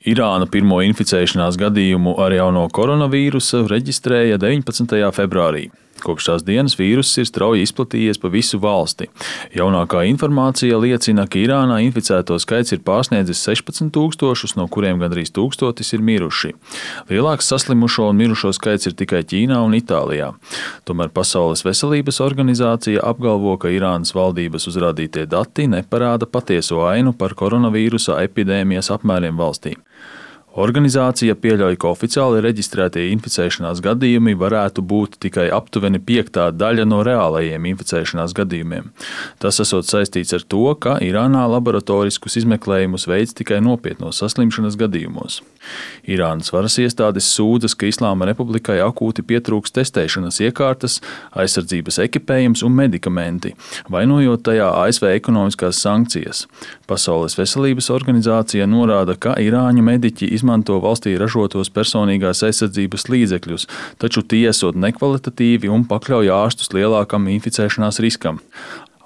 Irāna pirmo inficēšanās gadījumu ar jauno koronavīrusu reģistrēja 19. februārī. Kopš tās dienas vīruss ir strauji izplatījies pa visu valsti. Jaunākā informācija liecina, ka Irānā inficēto skaits ir pārsniedzis 16,000, no kuriem gandrīz 1,000 ir miruši. Lielāks saslimušo un mirušo skaits ir tikai Ķīnā un Itālijā. Tomēr Pasaules veselības organizācija apgalvo, ka Irānas valdības uzrādītie dati neparāda patieso ainu par koronavīrusa epidēmijas apmēriem valstī. Organizācija pieļauj, ka oficiāli reģistrētie inficēšanās gadījumi varētu būt tikai aptuveni 5. daļa no reālajiem inficēšanās gadījumiem. Tas esot saistīts ar to, ka Irānā laboratoriskus izmeklējumus veids tikai nopietnos saslimšanas gadījumos. Irānas varas iestādes sūdzas, ka Islāma Republikai akūti pietrūks testēšanas iekārtas, aizsardzības ekipējums un medikamenti, vainojot tajā ASV ekonomiskās sankcijas. Pasaules veselības organizācija norāda, ka irāņu mediķi izmanto valstī ražotos personīgās aizsardzības līdzekļus, taču tie esot nekvalitatīvi un pakļauj ārstus lielākam inficēšanās riskam.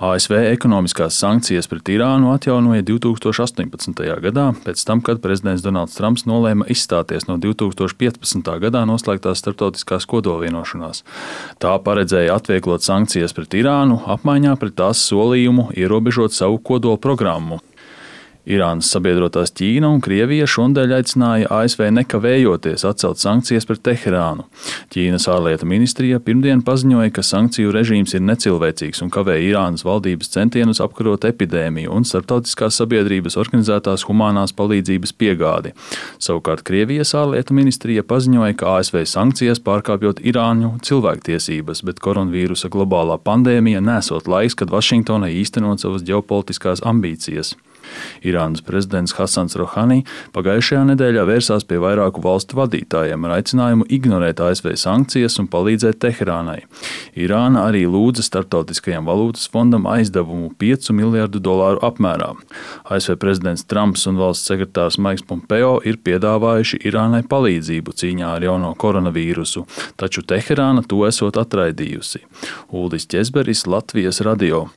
ASV ekonomiskās sankcijas pret Irānu atjaunoja 2018. gadā, pēc tam, kad prezidents Donalds Trumps nolēma izstāties no 2015. gadā noslēgtās starptautiskās kodolvienošanās. Tā paredzēja atvieglot sankcijas pret Irānu, apmaiņā pret tās solījumu ierobežot savu kodola programmu. Irānas sabiedrotās Ķīna un Krievija šonadēļ aicināja ASV nekavējoties atcelt sankcijas pret Teherānu. Ķīnas ārlietu ministrija pirmdien paziņoja, ka sankciju režīms ir necilvēcīgs un kavē Irānas valdības centienus apkarot epidēmiju un starptautiskās sabiedrības organizētās humānās palīdzības piegādi. Savukārt Krievijas ārlietu ministrija paziņoja, ka ASV sankcijas pārkāpjot Irāņu cilvēktiesības, bet koronavīrusa globālā pandēmija nesot laiks, kad Vašingtonai īstenot savas ģeopolitiskās ambīcijas. Irānas prezidents Hasans Rohani pagājušajā nedēļā vērsās pie vairāku valstu vadītājiem ar aicinājumu ignorēt ASV sankcijas un palīdzēt Teherānai. Irāna arī lūdza Starptautiskajam valūtas fondam aizdevumu $5 miljardu apmērā. ASV prezidents Trumps un valsts sekretārs Maiks Pompeo ir piedāvājuši Irānai palīdzību cīņā ar jauno koronavīrusu, taču Teherāna to esot atraidījusi. Uldis Ķezberis, Latvijas radio.